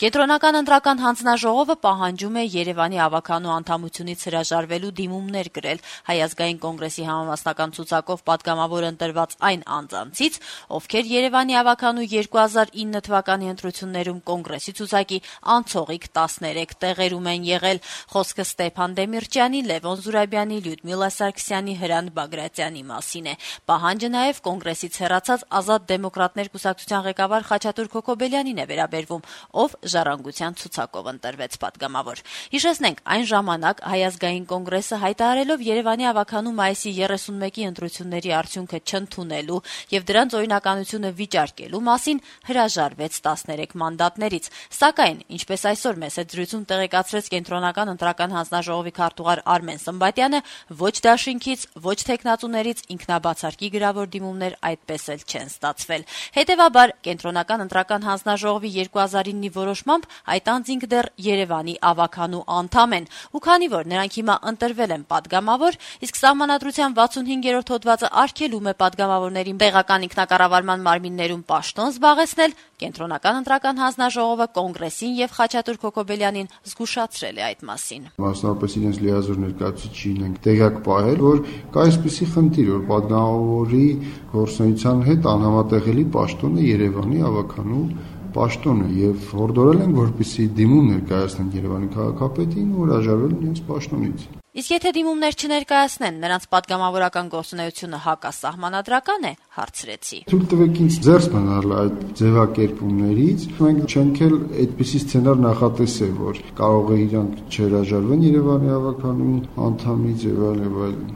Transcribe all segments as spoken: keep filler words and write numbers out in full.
Կենտրոնական ընտրական հանձնաժողովը պահանջում է Երևանի ավականու անդամությունից հրաժարվելու դիմումներ գրել Հայ ազգային կոնգրեսի համամասնական ցուցակով պատգամավոր ընտրված այն անձանցից, ովքեր Երևանի ավականու երկու հազար ինը թվականի ընտրություններում կոնգրեսի ցուցակի անցողիկ տասներեք տեղերում են եղել։ Խոսքը Ստեփան Դեմիրճյանի, Լևոն Զուրաբյանի, Լյուդմիլա Սարգսյանի, Հրանտ Բագրատյանի մասին է։ Պահանջը նաև կոնգրեսից հեռացած Ազատ դեմոկրատներ կուսակցության ղեկավար Խաչատուր Քոքոբելյանին է վերաբերվում, ով ժառանգության ցուցակով ընտրվեց պատգամավոր։ Հիշեցնենք, այն ժամանակ Հայ ազգային կոնգրեսը հայտարարելով Երևանի ավականու մայիսի երեսունմեկի ընտրությունների արդյունքը չընդունելու եւ դրանց օրինականությունը վիճարկելու մասին հրաժարվեց տասներեք մանդատներից։ Սակայն, ինչպես այսօր մեծ զրույցում տեղեկացրեց Կենտրոնական ընտրական հանձնաժողովի քարտուղար Արմեն Սմբատյանը, ոչ դաշինքից, ոչ թեկնածուներից ինքնաբացարկի գրավոր դիմումներ այդպես էլ չեն ստացվել։ Հետևաբար, Կենտրոնական ընտրական հանձնաժողովի երկու հազար ինը որոշմամբ այդ անձինք դեռ Երևանի ավականու անդամ են, ու քանի որ նրանք հիմա ընտրվել են պատգամավոր, իսկ Սահմանադրության վաթսունհինգերորդ հոդվածը արգելում է պատգամավորներին տեղական ինքնակառավարման մարմիններում պաշտոն զբաղեցնել, Կենտրոնական ընտրական հանձնաժողովը կոնգրեսին եւ Խաչատուր Քոքոբելյանին զգուշացրել է այդ մասին։ Մասնավորապես իրենց լիազոր ներկայացուցիչին են տեղյակ պահել, որ կա այսպիսի խնդիր, որ պատգամավորի գործունեության հետ անհամատեղելի պաշտոն է Երևանի ավականու պաշտոնը եւ հորդորել են, որպեսզի դիմում ներկայացնեն Երևանի քաղաքապետին ու հրաժարվել իրենց պաշտոնից։ Իսկ եթե դիմումներ չներկայացնեն, նրանց պատգամավորական գործունեությունը հակասահմանադրական է, հարցրեցի։ Թույլ տվեք ինձ ձեռս մնալ այդ ձևակերպումներից։ Մենք չենք էլ այդպիսի սցենար նախատեսել, որ կարող է իրանք չհրաժարվեն Երևանի ավականու անդամից եւ այլն եւ այլն։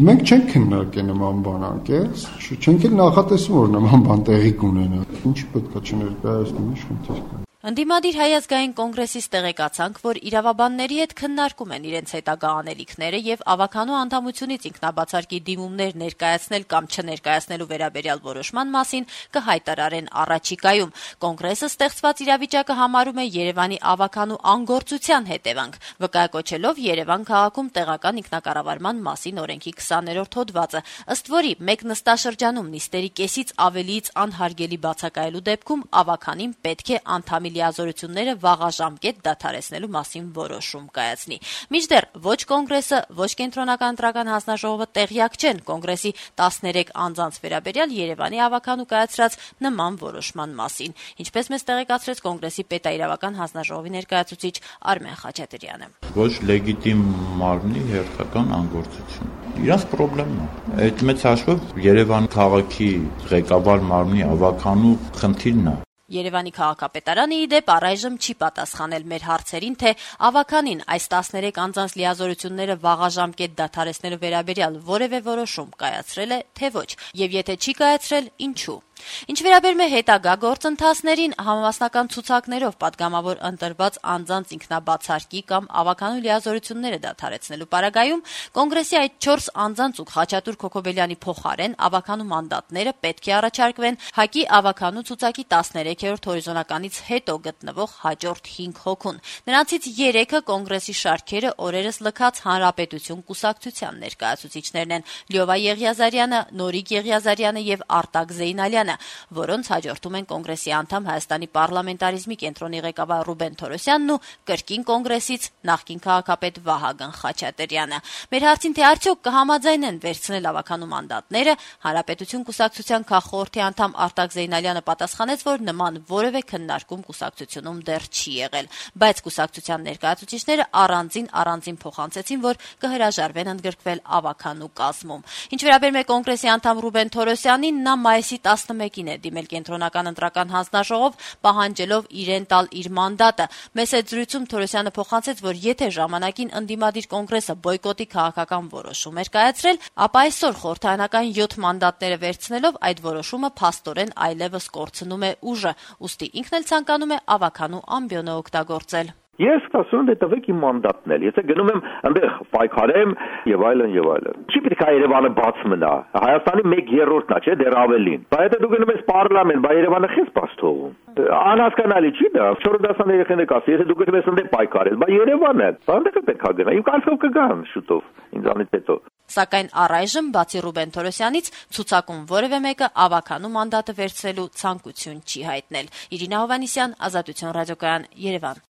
Մենք չենք քննարկել նման բան, անկես, չենք էլ նախատեսում, որ նման բան տեղի կունենա։ Ինչի պետքա չներկայացնեն, ինչ խնդիր կա։ Ընդդիմադիր Հայ ազգային կոնգրեսից տեղեկացանք, որ իրավաբանների հետ քննարկում են իրենց հետագա անելիքները եւ ավականու անդամությունից ինքնաբացարկի դիմումներ ներկայացնել կամ չներկայացնելու վերաբերյալ որոշման մասին կհայտարարեն առաջիկայում։ Կոնգրեսը ստեղծված իրավիճակը համարում է Երևանի ավականու անգործության հետևանք, վկայակոչելով Երևան քաղաքում տեղական ինքնակառավարման մասին օրենքի քսաներորդ հոդվածը, ըստ որի մեկ նստաշրջանում նիստերի կեսից ավելիից անհարգելի բացակայելու դեպքում ավականին պետք է անդամի լիազորությունները վաղաժամկետ դադարեցնելու մասին որոշում կայացնի։ Մինչդեռ ոչ կոնգրեսը, ոչ Կենտրոնական ընտրական հանձնաժողովը տեղյակ չեն կոնգրեսի տասներեք անձանց վերաբերյալ Երևանի ավականու կայացրած նման որոշման մասին, ինչպես մեզ տեղեկացրեց կոնգրեսի պետաիրավական հանձնաժողովի ներկայացուցիչ Արմեն Խաչատրյանը։ Ոչ լեգիտիմ մարմնի հերթական անգործություն։ Իրանց խնդիրն է։ Այդ մեծ հաշվով Երևան քաղաքի ղեկավար մարմնի ավականու խնդիրն է։ Երևանի քաղաքապետարանը ի դեպ առայժմ չի պատասխանել մեր հարցերին, թե ավականին այս տասներեք անձանց լիազորությունները վաղաժամկետ դադարեցնելու վերաբերյալ որևէ որոշում կայացրել է, թե ոչ, եւ եթե չի կայացրել, ինչու։ Ինչ վերաբերում է հետագա գործընթացներին, համամասնական ցուցակներով պատգամավոր ընտրված անձանց ինքնաբացարկի կամ ավականու լիազորությունները դադարեցնելու պարագայում կոնգրեսի այդ չորս անձանց ու Խաչատուր Քոքոբելյանի փոխարեն ավականու մանդատները պետք է առաջարկվեն ՀԱԿ-ի ավականու ցուցակի տասներեքերորդ հորիզոնականից հետո գտնվող հաջորդ հինգ հոգուն։ Նրանցից երեքը կոնգրեսի շարքերը օրերս լքած Հանրապետություն կուսակցության ներկայացուցիչներն են՝ Լյովա Եղիազարյանը, Նորիկ Եղիազարյանը եւ Արտակ Զեյնալյանը, որոնց հաջորդում են կոնգրեսի անդամ Հայաստանի պարլամենտարիզմի կենտրոնի ղեկավար Ռուբեն Թորոսյանն ու կրկին կոնգրեսից նախկին քաղաքապետ Վահագն Խաչատրյանը։ Մեր հարցին, թե արդյոք կհամաձայնեն վերցնել ավականու մանդատները, Հանրապետություն կուսակցության քաղխորհրդի անդամ Արտակ Զեյնալյանը պատասխանեց, որ նման որևէ քննարկում կուսակցությունում դեռ չի եղել, բայց կուսակցության ներկայացուցիչները առանձին առանձին փոխանցեցին, որ կհրաժարվեն ընդգրկվել ավականու կազմում։ Ինչ վերաբերում է կոնգրեսի անդամ Ռուբեն Թորոսյանին, նա մայիսի տասնմեկին է դիմել Կենտրոնական ընտրական հանձնաժողով, պահանջելով իրեն տալ իր մանդատը։ Մեծ զրույցում Թորոսյանը փոխանցեց, որ եթե ժամանակին ընդդիմադիր կոնգրեսը բոյկոտի քաղաքական որոշում էր կայացրել, ապա այսօր խորհրդարանական յոթ մանդատները վերցնելով այդ որոշումը փաստորեն այլևս կորցնում է ուժը, ուստի ինքն էլ ցանկանում է ավականու ամբիոնը օգտագործել։ Ես ասում եմ, դե տվեք իմ մանդատն էլ։ Եթե գնում եմ այնտեղ պայքարեմ եւ այլն եւ այլն։ Չի պետք է Երևանը բաց մնա։ Հայաստանի մեկ երրորդն է, չէ, դեռ ավելին։ Բայց եթե դու գնում ես պարլամենտ, բա Երևանը քեզ բաց թողում։ Անհասկանալի չի դա։ չորրորդ դասան երեխաները կասի, եթե դու գնում ես այնտեղ պայքարել, բա Երևանը, բա այնտեղ պետք է գնա։ Իմ կարծիքով կգան շուտով ինձանից հետո։ Սակայն առայժմ, բացի Ռուբեն Թորոսյանից, ցուցակում որևէ մեկը ավականու մանդատը վերցնելու ցանկություն չի հայտնել։ Իրինա Հովհաննիսյան, Ազատություն ռադիոկայան, Երևան։